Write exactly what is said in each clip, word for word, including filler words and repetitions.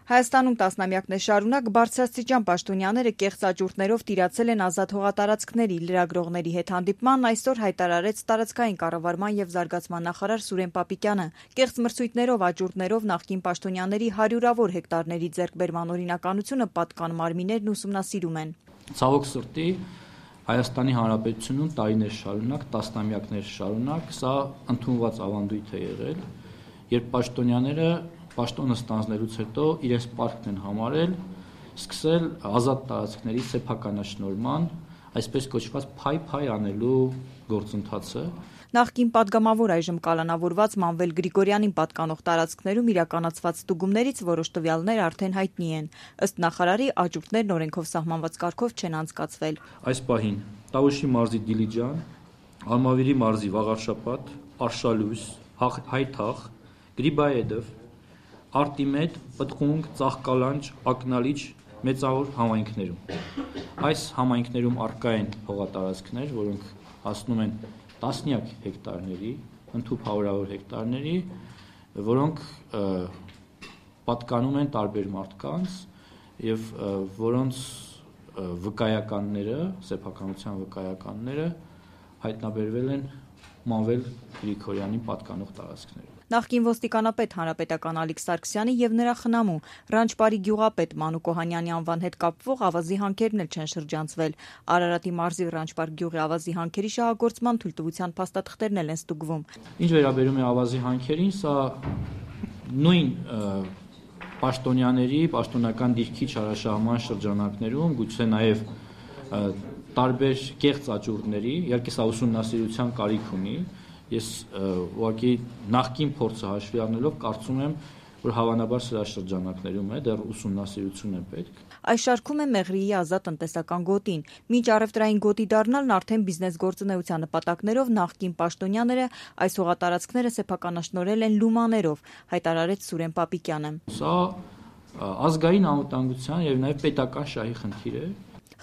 Հայաստանում տասնամյակներ շարունակ բարձրաստիճան պաշտոնյաները կեղծ աճուրդներով տիրացել են ազատ հողատարածքների, լրագրողների հետ հանդիպման այսօր հայտարարեց տարածքային կառավարման եւ զարգացման նախարար Սուրեն Պապիկյանը։ Կեղծ մրցույթներով, աճուրդներով նախկին պաշտոնյաների հարյուրավոր հեկտարների ձեռքբերման օրինականությունը պատկան մարմիններն ուսումնասիրում են։ Ցավոք սրտի Հայաստանի Հանրապետությունում տարիներ շարունակ, տասնամյակներ շարունակ սա ընդունված ավանդույթ է եղել, երբ պաշտոնյաները պաշտոնը ստանձնելուց հետո իրենց պարտքն են համարել սկսել ազատ տարածքների սեփականաշնորհման, այսպես կոչված փայ-փայ անելու գործընթացը։ Նախկին падգամավոր այժմ կալանավորված Մանվել Գրիգորյանին պատկանող տարածքներում իրականացված ստուգումներից որոշ տվյալներ արդեն հայտնի են։ Ըստ նախարարի աճուրդներն օրենքով սահմանված կարգով չեն անցկացվել։ Այս պահին Տավուշի մարզի Դիլիջան, Ալմավիրի մարզի Վաղարշապատ, Արշալույս, Հայթախ, Գրիբայեդով, Արտիմեդ, Պտղունք, Ծաղկալանջ, Ակնալիչ մեծավոր համայնքներում։ Այս համայնքներում առկա են հողատարածքներ, որոնք հասնում են տասնյակ հեկտարների, ընդհուպ հարյուրավոր հեկտարների, որոնք պատկանում են տարբեր մարդկանց եւ որոնց վկայականները, սեփականության վկայականները հայտնաբերվել են Մանվել Գրիգորյանին պատկանող տարածքներում։ Նախկին ոստիկանապետ հանրապետական Ալիկ Սարգսյանի եւ նրա խնամու Ռանչպարի գյուղապետ Մանուկ Օհանյանի անվան հետ կապվող ավազի հանքերն էլ չեն շրջանցվել։ Արարատի մարզի Ռանչպար գյուղի ավազի հանքերի շահագործման թույլտվության փաստաթղթերն էլ են ստուգվում։ Ինչ վերաբերում է ավազի հանքերին, սա նույն պաշտոնյաների, պաշտոնական դիրքի չարաշահման շրջանակներում, գուցե նաեւ տարբեր կեղծ աճուրդների, իհարկե սա ուսումնասիրության կարիք ունի։ Ես ուղղակի նախկին փորձը հաշվի առնելով կարծում եմ, որ հավանաբար սրա շրջանակներում է, դեռ ուսումնասիրություն է պետք։ Այս շարքում է Մեղրիի ազատ տնտեսական գոտին։ Մինչ առևտրային գոտի դառնալն արդեն բիզնես գործունեության նպատակներով նախկին պաշտոնյաները այս հողատարածքները սեփականաշնորհել են լումաներով, հայտարարեց Սուրեն Պապիկյանը։ Սա ազգային անվտանգության եւ նաեւ պետական շահի խնդիր է։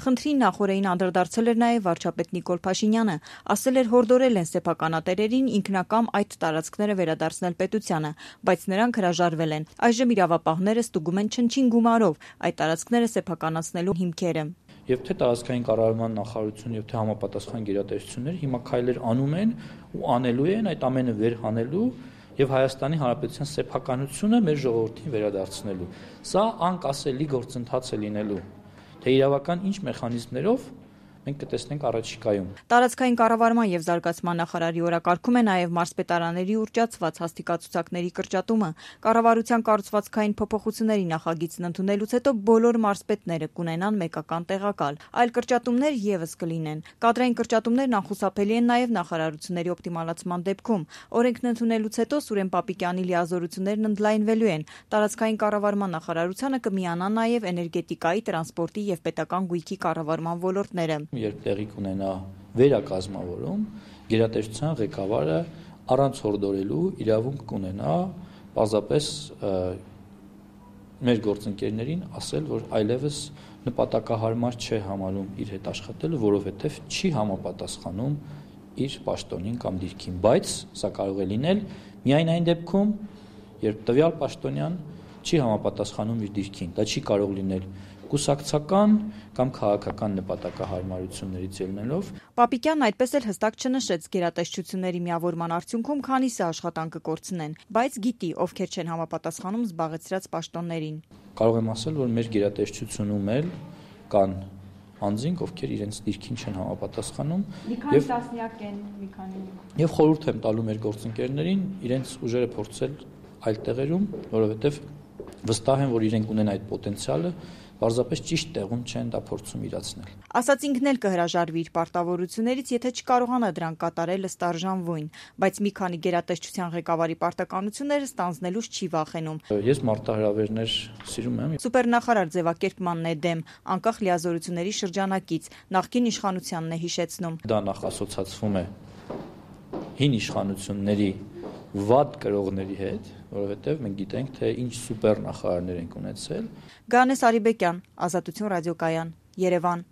Խնդրին նախորդին անդրադարձել էր նաև վարչապետ Նիկոլ Փաշինյանը, ասել էր հորդորել են սեփականատերերին ինքնակամ այդ տարածքները վերադարձնել պետությանը, բայց նրանք հրաժարվել են։ Այժմ իրավապահները ստուգում են չնչին գումարով այդ տարածքները սեփականացնելու հիմքերը։ Եվ թե տարածքային կառավարման նախարարությունը եւ թե համապատասխան գերատեսչությունները հիմա քայլեր անում են ու անելու են այդ ամենը վերհանելու եւ Հայաստանի Հանրապետության սեփականությունը մեր ժողովրդին վերադարձնելու։ Սա անկասելի գործընթաց է լինելու։ Թե իրավական ինչ մեխանիզմներով մենք կտեսնենք առաջիկայում։ Տարածքային կառավարման եւ զարգացման նախարարի օրակարգում է նաեւ մարզպետարանների ուռճացված հաստիկացուցակների կրճատումը։ Կառավարության կառուցվածքային փոփոխությունների նախագիծն ընդունելուց հետո բոլոր մարզպետները կունենան մեկական տեղակալ։ Այլ կրճատումներ եւս կլինեն։ Կադրային կրճատումներն անխուսափելի են նաեւ նախարարությունների օպտիմալացման դեպքում։ Օրենքն ընդունելուց հետո Սուրեն Պապիկյանի լիազորություններն ընդլայնվելու են։ Տարածքային կառավարման նախարարությանը կմիանան նաեւ էներգետիկայի, տրանսպորտի եւ պետական գույքի կառավարման ոլորտները։ Երբ տեղի կունենա վերակազմավորում, գերատեսչության ղեկավարը առանց հորդորելու իրավունք կունենա պարզապես մեր գործընկերներին ասել, որ այլևս նպատակահարմար չէ համարում իր հետ աշխատելը, որովհետև չի համապատասխանում իր պաշտոնին կամ դիրքին, բայց սա կարող է լինել միայն այն դեպքում, երբ տվյալ պաշտոնյան չի համապատասխանում իր դիրքին, դա չի կարող լինել կուսակցական կամ քաղաքական նպատակահարմարություններից ելնելով։ Պապիկյանն այդպես էլ հստակ չնշեց գերատեսչությունների միավորման արդյունքում քանիսը աշխատանք կկորցնեն, բայց գիտի ովքեր չեն համապատասխանում զբաղեցրած պաշտոններին։ Կարող եմ ասել, որ մեր գերատեսչությունում էլ կան անձինք, ովքեր իրենց դիրքին չեն համապատասխանում եւ տասնյակ են, մի քանի։ Եվ խորհուրդ եմ տալու մեր գործընկերներին իրենց ուժերը փորձել այլ տեղերում, որովհետեւ վստահ եմ, որ իրենք ունեն այդ պոտենցիալը, պարզապես ճիշտ տեղում չեն դա փորձում իրացնել։ Ասած ինքն էլ կհրաժարվի իր պարտավորություններից, եթե չկարողանա դրանք կատարել ըստ արժանվույն, բայց մի քանի գերատեսչության ղեկավարի պարտականությունները ստանձնելուց չի վախենում։ Ես մարտահրավերներ սիրում եմ։ Սուպերնախարար ձևակերպմանն է դեմ, անկախ լիազորությունների շրջանակից, նախկին իշխանությանն է հիշեցնում։ Դա նախ ասոցացվում է հին իշխանությունների վատ կրողների հետ, որովհետև մենք գիտենք, թե ինչ սուպեր նախարարներ ենք ունեցել։ Գանես Արիբեկյան, Ազատություն ռադիոկայան, Երևան։